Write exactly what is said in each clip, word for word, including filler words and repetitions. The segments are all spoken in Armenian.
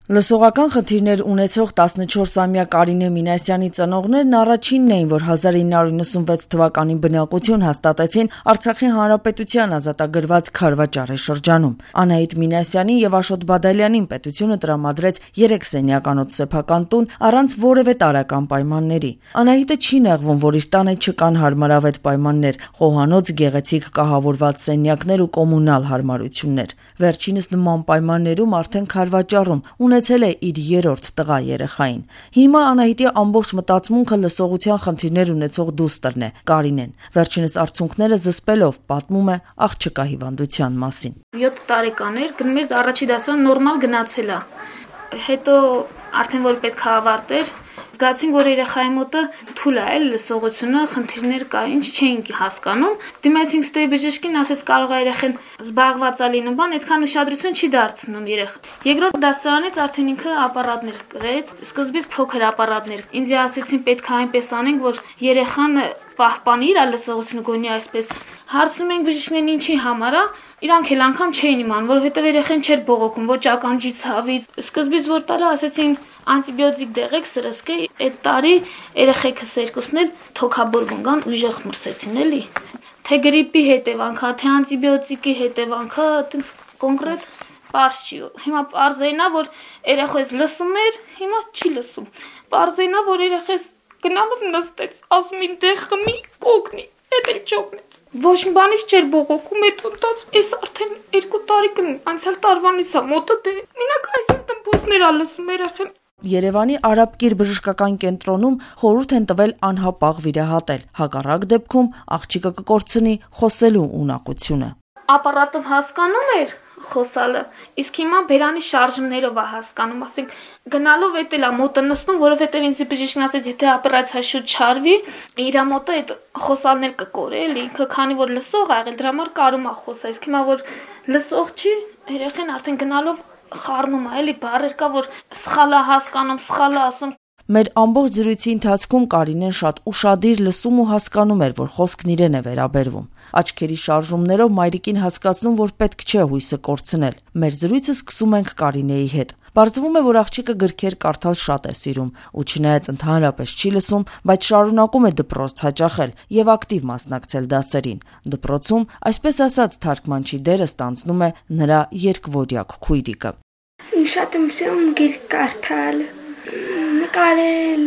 Լսողական խնդիրներ ունեցող տասնչորսամյա Կարինե Մինասյանի ծնողներն առաջինն էին, որ հազար ինը հարյուր նվսանվեց թվականին բնակություն հաստատեցին Արցախի Հանրապետության ազատագրված Քարվաճարի շրջանում։ Անահիտ Մինասյանին եւ Աշոտ Բադալյանին պետությունը տրամադրեց երեք սենյականոց սեփական տուն առանց որևէ տարրական պայմանների։ Անահիտը չի նեղվում, որ իր տանը չկան հարմարավետ պայմաններ, խոհանոց, գեղեցիկ կահավորված սենյակներ ու կոմունալ հարմարություններ։ Վերջինս նման պայմաններում արդեն Քարվաճարում ունեցել է իր երրորդ տղա երեխային։ Հիմա Անահիտի ամբողջ մտածմունքը լսողության խնդիրներ ունեցող դուստրն է, Կարինեն։ Վերջինս արցունքները զսպելով պատմում է աղջկա հիվանդության մասին։ յոթ տարեկան էր, գնում էր առաջի դասարան, նորմալ գնացել է։ Հետո արդեն որ պետք է ավարտեր, զգացին, որ երեխայի մոտը թույլ է լսողությունը, խնդիրներ կա, ինչ չէինք հասկանում։ Դիմեցինք ստե բժշկին, ասեց կարող է երեխան զբաղված է լինում, բան այդքան ուշադրություն չի դարձնում երեխա։ Երկրորդ դասարանից արդեն ինքը ապարատներ կրեց, սկզբից փոքր ապարատներ։ Ինձ ասեցին պետք է այնպես անենք, որ երեխան պահպանի իր լսողությունը, գոնի այսպես։ Հարցնում ենք բժիշկներին ինչի համար է, իրանք էլ անգամ չէին իմանում, որովհետև երեխան չէր բողոքում, ոչ ականջի ցավից։ Սկզբից որ տարա ասեցին անտիբիոտիկ դեղեք սրսկե, այդ տարի երեխեքս երկուսն էլ թոքաբորբուն կան, ուժեղ մրսեցին էլի։ Թե գրիպի հետևանքա, թե անտիբիոտիկի հետևանքա, այդպես կոնկրետ պարզ չի։ Հիմա պարզենա, որ երեխես լսում էր, հիմա չի լսում։ Պարզենա, որ երեխես գնալով նստեց, ասում ին դե խմի, կոգնի, էդ էլ չօգնեց։ Ոչ մի բանից չէր բողոքում, այդ ընտած, այս արդեն երկու տարի կն, անցյալ տարվանից է մոտը դե։ Մինակ այսպես դմբոսներ ա լսում երեխեն։ Երևանի Արաբկիր բժշկական կենտրոնում խորհուրդ են տվել անհապաղ վիրահատել, հակառակ դեպքում աղջիկը կկորցնի խոսելու ունակությունը։ Ապարատով հասկանում էր խոսալը, իսկ հիմա բերանի շարժումներով է հասկանում, ասենք գնալով էդ էլա մոտը նստում, որովհետև ինձ բժիշկն ասեց, եթե օպերացիա շուտ չարվի, իր մոտը այդ խոսալներ կկորի, էլի ինքը քանի որ լսող ա եղել, դրա համար կարում է խոսա, իսկ հիմա որ լսող չի, երեխան արդեն գնալով խառնում է, էլի բառեր կա, որ սխալ է հասկանում, սխալ է ասում։ Մեր ամբողջ զրույցի ընթացքում Կարինեն շատ ուշադիր լսում ու հասկանում էր, որ խոսքն իրեն է վերաբերվում։ Աչքերի շարժումներով մայրիկին հասկացնում, որ պետք չէ հույսը կորցնել։ Մեր զրույցը սկսում ենք Կարինեի հետ։ Պարզվում է, որ աղջիկը գրքեր կարդալ շատ է սիրում ու չնայած ընդհանրապես չի լսում, բայց շարունակում է դպրոց հաճախել եւ ակտիվ մասնակցել դասերին։ Դպրոցում, այսպես ասած, թարգմանչի դերը ստանձնում է նրա երկվորյակ քույրիկը։ Շատ եմ սիրում գրք կարդալ, նկարել,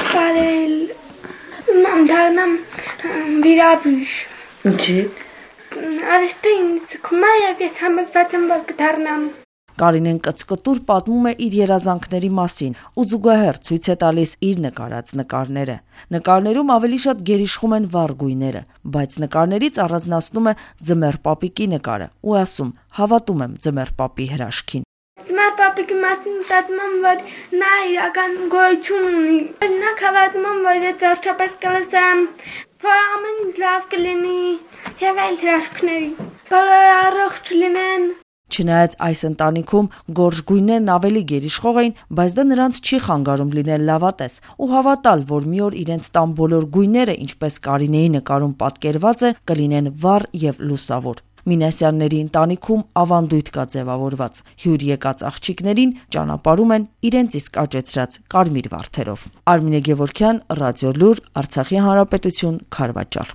կարել, դառնամ վիրաբույժ։ Ինչի՞։ Արեստը ինձ կում է եւ ես համոզված եմ, որ կդառնամ։ Կարինեն կծկտուր պատմում է իր երազանքների մասին ու զուգահեռ ցույց է տալիս իր նկարած նկարները։ Նկարներում ավելի շատ գերիշխում են վառ գույները, բայց նկարներից առանձնացնում է ձմեռ պապիկի նկարը ու ասում՝ հավատում եմ ձմեռ պապի հրաշքին։ Ձմեռ պապիկի մասին մտածում եմ, որ նա իրական գոյություն ունի։ Նա հավատում եմ, որ ես վերջապես կլսեմ, որ ամեն ինչ լավ կլինի եւ այլ հրաշքների։ Բոլորը առողջ լինեն։ Չնայած այս ընտանիքում գորշ գույներն ավելի գերիշխող էին, բայց դա նրանց չի խանգարում լինել լավատես ու հավատալ, որ մի օր իրենց տան բոլոր գույները, ինչպես Կարինեի նկարում պատկերված է, կլինեն վառ եւ լուսավոր։ Մինասյանների ընտանիքում ավանդույթ կա ձևավորված։ Հյուր եկած աղջիկներին ճանապարհում են իրենց իսկ աճեցրած կարմիր վարդերով։ Արմինե Գևորգյան, Ռադիոլուր, Արցախի Հանրապետություն, Քարվաճար։